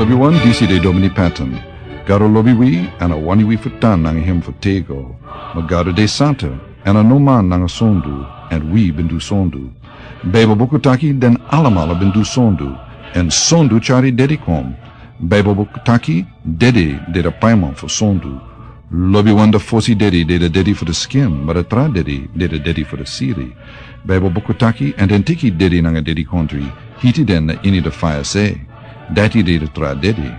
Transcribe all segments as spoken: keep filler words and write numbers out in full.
Wi wan disi de domini patan. Gado lobi wi, èn a wani wi fu tan nanga hem fu tego. Ma Gado de santa, èn a no man nanga sondu, èn wi ben du sondu. Baibel buku taki den alamala ben du sondu, èn sondu tyari dedi kon. Baibel buku taki dedi de de paiman fu sondu. Lobi wan de fosi dedi de de dedi fu de skin, ma de tra dedi de de dedi fu de siri. Baibel buku taki èn den tiki dedi nanga dedi kontri, hiti den na ini de faya se. Dati de de tra dedi.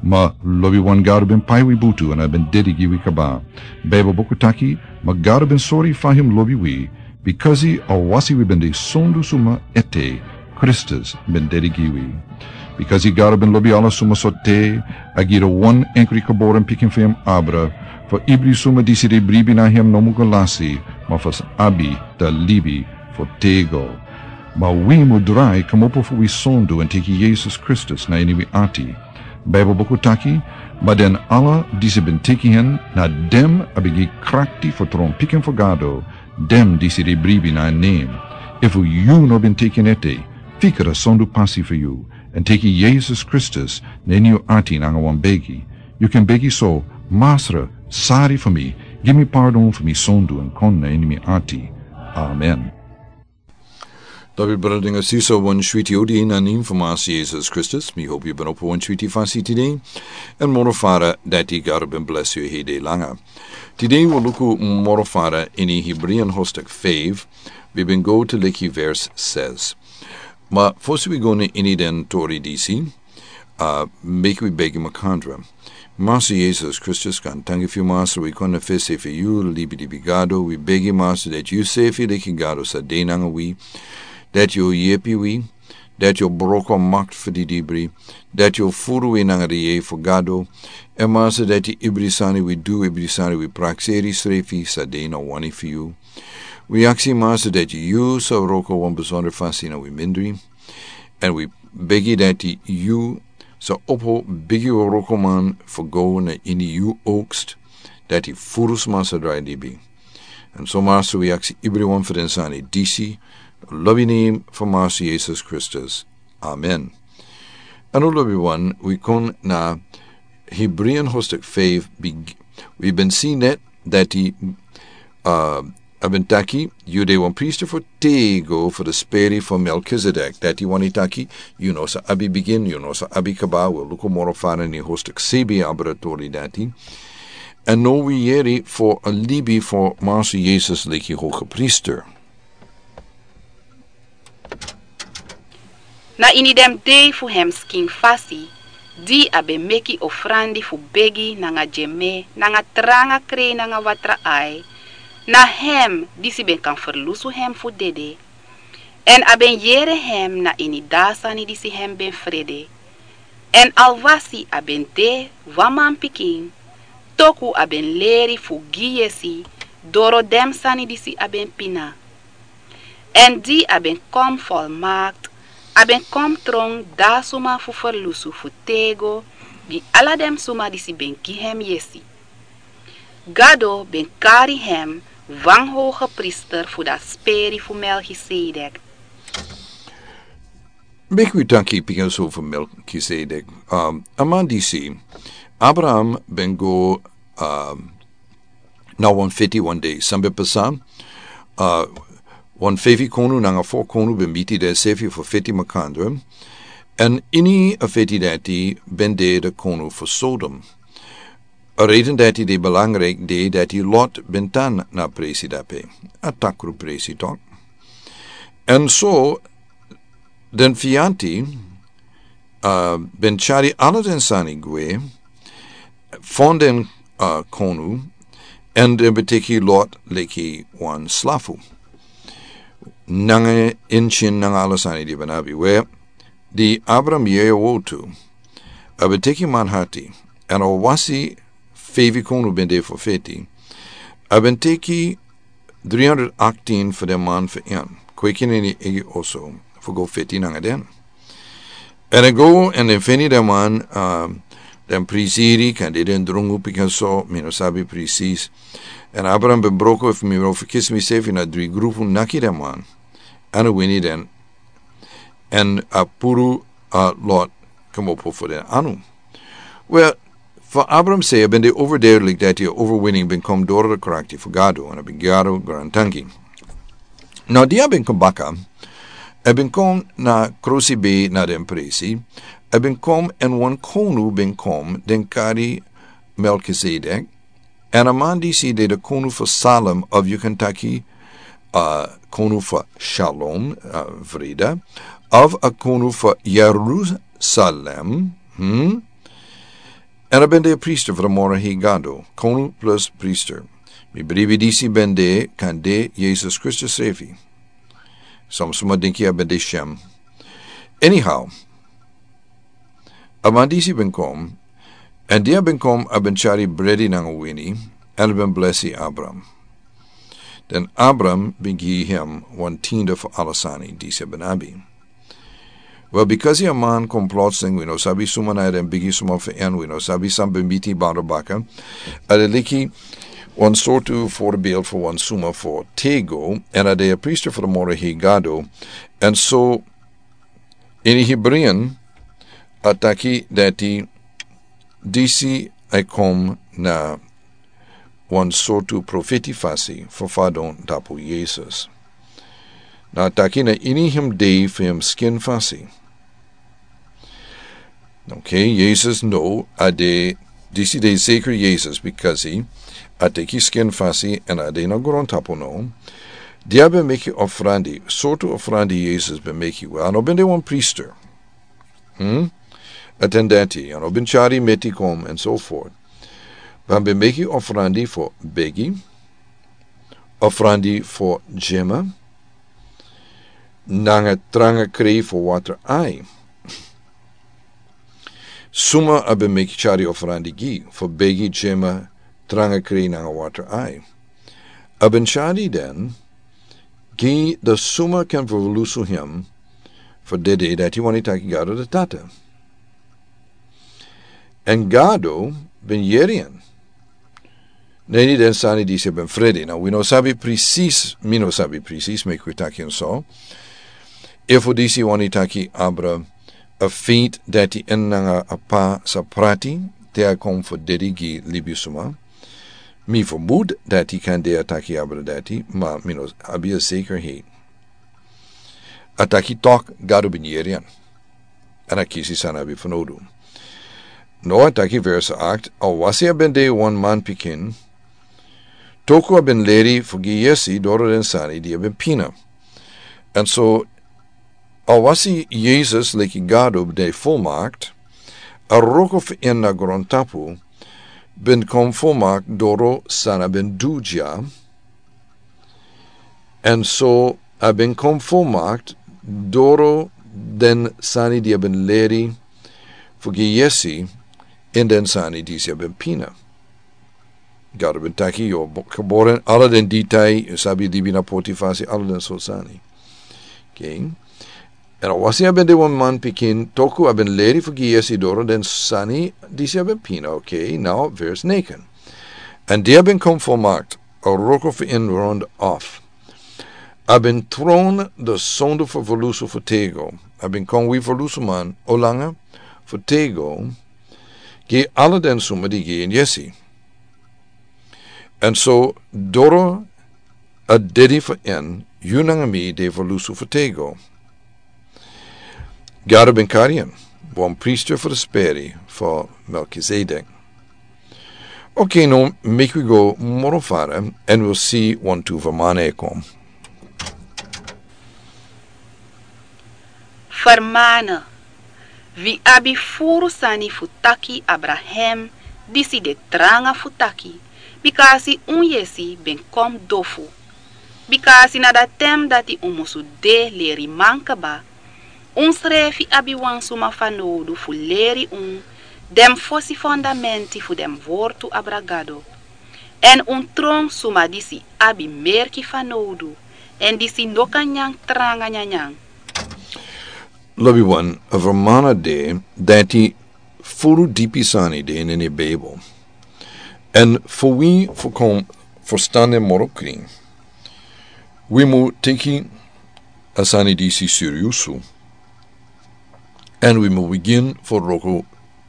Ma lobi wan Gado ben pai wi butu èn a ben dedi gi wi kaba. Baibel buku taki, ma Gado ben sori fa hem lobi wi, bikasi a wasi wi ben de sondu suma ete, Kristus ben dedi gi wi. Bikasi Gado ben lobi ala suma so te, a gi de wan enkri kaboren pikin fu hem abra, fu ibri suma disi de bribi na hem no mu go lasi, ma fu abi de libi fu tego. Ma wi mu drai kmopo fu wi sondu èn teki Yesus Kristus na ini wi ati. Baibel buku taki, ma den ala disi ben teki hen, na dem a ben gi krakti fu tron pikin fu Gado, dem disi de bribi na en nem. Efu yu no ben teki en ete, fika de sondu pasi fu yu, èn teki Yesus Kristus na ini yu ati nanga wan begi. Yu ken begi so, Masra, sari fu mi, gi mi pardon fu mi sondu èn kon na ini mi ati. Amen. David, brada nanga sisa, wan switi odi na nen fu Masra Yesus Kristus. Mi hopi yu ben opo wan switi fasi tide. Èn moro fara dati Gado ben blesi yu hede langa. Tide wi luku moro fara ini Hebrean hostek five, wi ben go te leki vers ses. Ma fosi wi go na ini den tori disi, a, meki wi begi makandra. Masra Yesus Kristus, kan tangi fu yu, Masra, wi kon na fesi fu yu, libi libi Gado, wi begi, Masra, dati yu sefi leki Gado sa de nanga wi, dati yu yepi wi, dati yu broko makti fu didibri, dati yu furu wi nanga de yeye fu Gado, èn Masra, dati ibri sani wi du, ibri sani wi prakseri srefi sa de na wani fu yu. Wi aksi, Masra, dati yu sa wroko wan besondra fasi na wi mindri. Èn wi begi dati yu sa opo bigi wrokoman fu go na ini yu oogst, dati furu sma sa drai libi. Èn so, Masra, wi aksi ibriwan fu den sani disi, lobi nen fu Masra Yesus Kristus. Amen. Èn o lobi wan, wi kon na Hebrean hostek five, big, wi ben si net dati, a, a ben taki, yu de wan priester fu tego fu de speri fu Melkizedek. Dati wani taki, yu no sa abi bigin, yu no sa abi kaba, wi luku moro fara ini hostek sebi abra tori dati. Èn now wi yere fu a libi fu Masra Yesus leki hogepriester. Na ini den dei fu hem skin fasi, di a ben meki ofrandi fu begi nanga dyeme, nanga tranga krei nanga watra ai, na hem disi ben kan ferlusu hem fu dede. Èn a ben yere hem na ini da sani disi hem ben frede. Èn alwasi a ben de wan manpikin, toku a ben leri fu gi yesi doro den sani disi a ben pina. Èn di a ben kon folmakti, a ben kon tron da suma fu ferlusu fu tego gi ala den suma disi ben gi hem yesi. Gado ben kari hem wan hogepriester fu da speri fu Melkisedek. Meki wi taki pikinso fu Melkisedek. Um, a man disi, Abraham ben go, um, na wan feti wan dei. San ben pasa, uh, wan feifi konu nanga fo konu ben miti densefi fu feti makandra. Èn ini a feti dati ben de de konu fu Sodom. A reden dati de belangrijk de dati Lot ben tan na presi dape. A takru presi tok. Èn so, den fianti, uh, ben tyari ala den sani gwe, fon den, uh, konu, èn den ben teki Lot leki wan slafu. Nanga en tyin nanga ala sani di ben abi we, di Abraham yeye wotu, a ben teki manhati, èn a wasi feifi konu ben de fu feti. A ben teki dri hundred aktin fu den man fu en. Kweki neni egi oso fu go feti nanga den. Èn a go èn den feni den man, um, den prisiri, kan de den drungu pikinso, mi no sabi presis. Èn Abraham ben broko, efu mi no ferkisi misefi, na dri grupu naki den man. Èn a wini den. Èn a puru, uh, Lot kmopo fu den anu. Wel, for Abram se, a ben de overduidelijk dat die overwinning ben kom door de kracht die for Gado, en a ben Gado grantangi. Nou, die a ben kom baka, a ben kom na krosi be na den presi, a ben kom en wan konu ben kom, den kari Melchizedek, en a man disi de de konu for Salem, of you can taki, uh, konu for Shalom, uh, vrede, of a konu for Jerusalem, hmm? En a ben de priester for de moro hei Gado, konu plus priester. Mi bribi disi ben de kan de Jesus Kristus srefi. Som suma dinki a ben de Shem. Anyhow, a man disi ben kom, en dia ben kom a ben chari bredi nanga wini, en a ben blesi Abram. Den Abram ben gi hem wan tiende for ala sani disi a ben abi. Wel, because a man kom plotseling, wi no sabi suma na den bigi suma for en, wi no sabi san ben miti bando baka. A de liki wan sortu voorbeeld for wan suma for tego, en a de a priester for de moro hei Gado, en so ini Hebreeën a taki dati disi a kom na wan sortu profeti fasi for fadon tapu Jesus. Na taki na ini hem dei for hem skin fasi. Okay, Jesus no, a de, disi de zeker Jesus, because a teki skin fasi en a de na grontapu no. Dia ben meki ofrandi, sortu ofrandi Jesus ben meki, wel, a no ben de wan priester. Hmm? Atendenti, a no ben chari meti kom en so voort. Wan ben meki ofrandi for begi, ofrandi for jema, nanga tranga krei for water ai. Suma a ben meki chari ofrandi gi, for begi jema tranga krei nanga water ai. A ben chari den, gi de suma kan verlusu hem, for dede dati wani taki Gado de tata. En Gado ben yeri en. Neni den sani disi ben fredi. Now, wi no sabi precies, mi no sabi precies, meki wi taki en so. Efu disi wani taki abra a feit dati en nanga a pa sa prati, te a kom for dedi gi libisuma. Mi vermoed dati kan de a taki abra dati, ma mi no abi a zekerheid. A taki tok Gado ben yeri en. En a kisi san a ben vernodu. No, a taki vers acht, a wasi a ben de wan man pikin, toku a ben leri fu gi yesi doro den sani di a ben pina. En so, a wasi Jesus leki Gado de volmaakt, a roko fu en na grontapu, ben kon volmaakt doro san a ben du dya, en so a ben kon volmaakt doro den sani di a ben leri fu gi yesi in den sani disi a ben pina. Gado ben taki yu o bo-, geboren ala den ditai, yu sabi libi na poti fasi, ala den so sani. Okay. En a wasi a ben de wan man pikin, toku a ben leri fu gi yesi doro den sani disi a ben pina, okay, now vers negen. En di a ben kon volmaakt, a roko fu en rond af. A ben tron de sondu fu verlusu fu tego. A ben kon wi verlusu man, olanga fu tego, gi ala den suma di gi en yesi. En so doro a dedi fu en, yu nanga mi de verlusu fu tego. Gado ben kari en, wan priester fu de speri fu Melchizedek. Okay, no, meki wi go moro fara, en wi si wantu vermana e kon. Vermana, wi abi furu sani fu taki abra hem, disi de tranga fu taki, bika a si un yesi ben kon dofu. Bika a si na dati ten dati un musu de leriman kaba, unsrefi abi wan suma fanowdu fu leri un den fosi fondamenti fu den wortu abra Gado. En un tron suma disi abi merki fanowdu, en disi no kan nyan tranga nyanyan. Lobi wan, a vermana de dati furu dipi sani de ini a Bijbel. En fu wi fu kon ferstan den moro krin, wi mu teki a sani disi seriusu. En wi mu bigin fu roko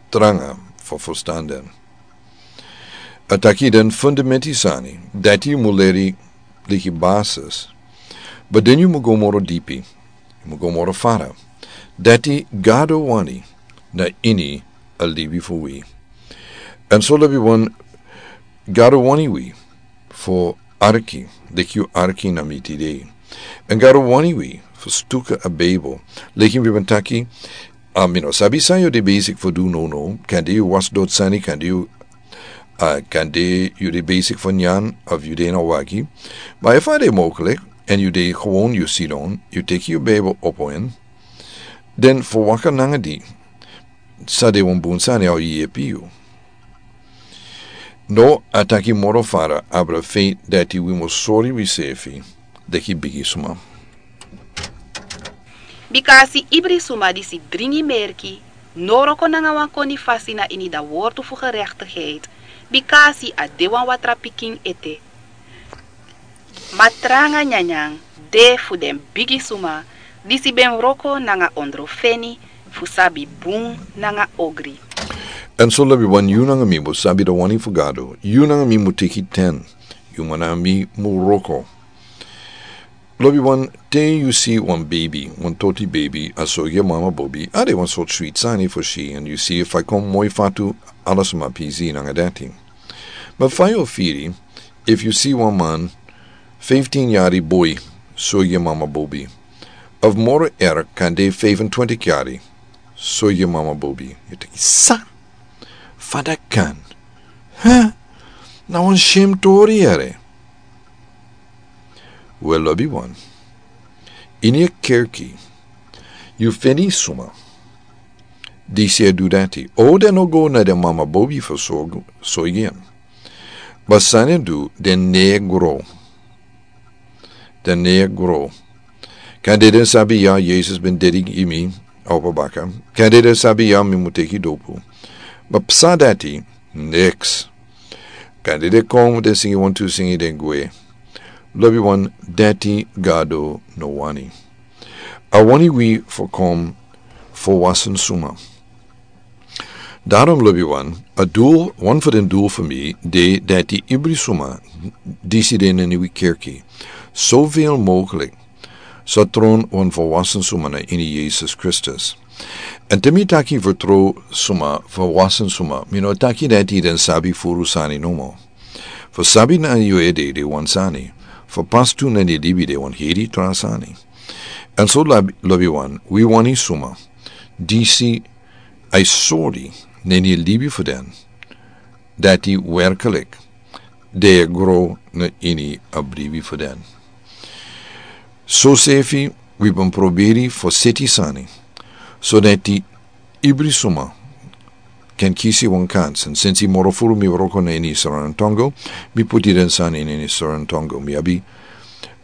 tranga fu furstan den. A taki den fundamenti sani dati yu mu leri leki basis. But den yu mu go moro dipi, yu mu go moro fara. Dati Gado wani na ini a libi fu wi. Èn so lobi wan, Gado wani wi fu arki leki yu arki na mi tide. Èn Gado wani wi fu stuka a Bijbel. Leki wi ben taki, a mi no sabi san yu de besik fu du nono, kande yu wasi doti sani, kande yu, a kande yu de besik fu nyan of yu de na wagi. Ma efu a de moklik èn yu de gewoon yu sidon, yu teki yu Bijbel opo en, den fu waka nanga di, sa de wan bun sani, a o yepi yu. No, a taki moro fara abra feit dati wi mus sori wisefi leki bigi suma. Bika a si ibri suma disi dringi merki, no wroko nanga wan koni fasi na ini da wortu fu gerechtigheid, bika a si a de wan watra pikin ete. Ma tranga nyanyan de fu den bigi suma disi ben wroko nanga ondrofeni fu sabi bun nanga ogri. Èn so lobi wan, yu nanga mi mu sabi da wani fu Gado, yu nanga mi mu teki ten, yu nanga mi mu wroko. Lobi wan, te yu si wan beibi, wan toti beibi, a sorgi en mama bobi, a de wan sortu switi sani fu si, èn yu si efu a kon moi fatu, ala suma pisi nanga dati. Ma fa yu o firi efu yu si wan man, fiftin yari boi, sorgi en mama bobi, of moro erg kande fifentwintig yari, sorgi en mama bobi? Yu taki san? Fa dati kan? Hè? Na wan shem tori yere. Wel, lobi wan, ini a kerki yu feni suma disi e du dati. O den no go na den mama bobi fu sorgu, sorgi en. Ma san den du, den no e gro. Den no e gro. Kande den sabi ya, Yesus ben dedi gi mi a opo baka. Kande den sabi ya, mi mu teki dopu. Ma psa dati, niks. Kande den kon, den singi wantu singi, den gwe. Lobi wan, dati Gado no wani. A wani wi fu kon fu wasen suma. Daarom, lobi wan, a doel, wan fu den doel fu mi de dati ibri suma disi de na ini wi kerki, sovel mogelijk, sa tron wan volwassen suma na ini Yesus Kristus. Èn te mi taki vertrouw suma, volwassen suma, mi no taki dati den sabi furu sani nomo. Fu sabi na yu ede de wan sani, fu pas tu na ini libi de wan heri tra sani. Èn so lobi, lobi wan, wi wani suma disi a e sori na ini libi fu den dati werkelijk den e gro na ini a bribi fu den. Sosefi wi ben proberi fu seti sani, so dati ibri suma kan kisi wan kans. Èn sensi moro furu mi wroko na ini Sranan Tongo, mi puti den sani na ini Sranan Tongo. Mi abi,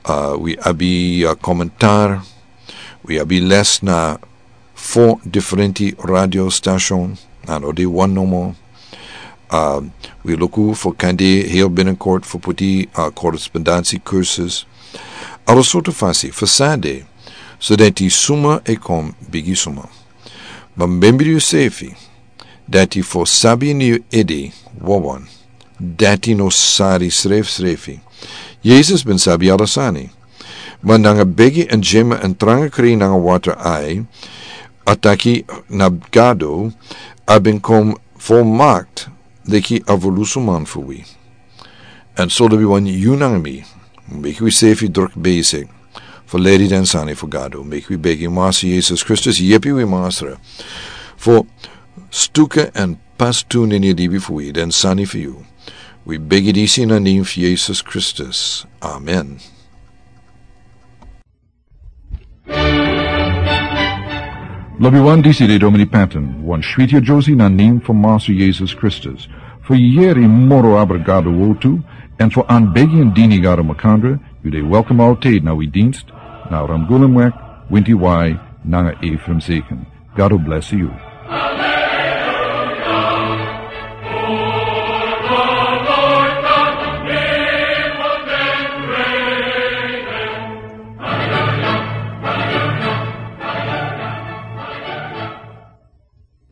a, wi abi, a, komentar, wi abi les na fo diferenti radio station, a no de wan nomo. A, wi luku fu kande heel binnenkort fu puti, a, correspondentie cursus. Ala sortu fasi fu san de, so dati suma e kon bigi suma. Ma membri yusefi dati fu sabi ini yu ede wawan, dati no sari srefsrefi. Yesus ben sabi ala sani. Ma nanga begi èn yema èn tranga kri nanga watra ai, a taki na Gado, a ben kon volmakt leki a volusuman fu wi. Èn so lobi wan, yu nanga mi, meki wi sefi druk bezig fu leri den sani fu Gado. Meki wi begi Masa Yesus Kristus, yepi wi Masa, fu stuka èn pas tu na ini libi fu wi den sani fu yu. Wi begi disi na nen fu Yesus Kristus. Amen. Lobi wan, disi de Domini Patton, wan switi a Josie na nen fu Masa Yesus Kristus. Fu yeri moro abra Gado wortu, èn fu anbegi èn dini Gado makandra, yu de welkom altijd na wi dienst, na Ramgulumweg, winti wai, nanga Ephraim Zeken. Gado bless yu.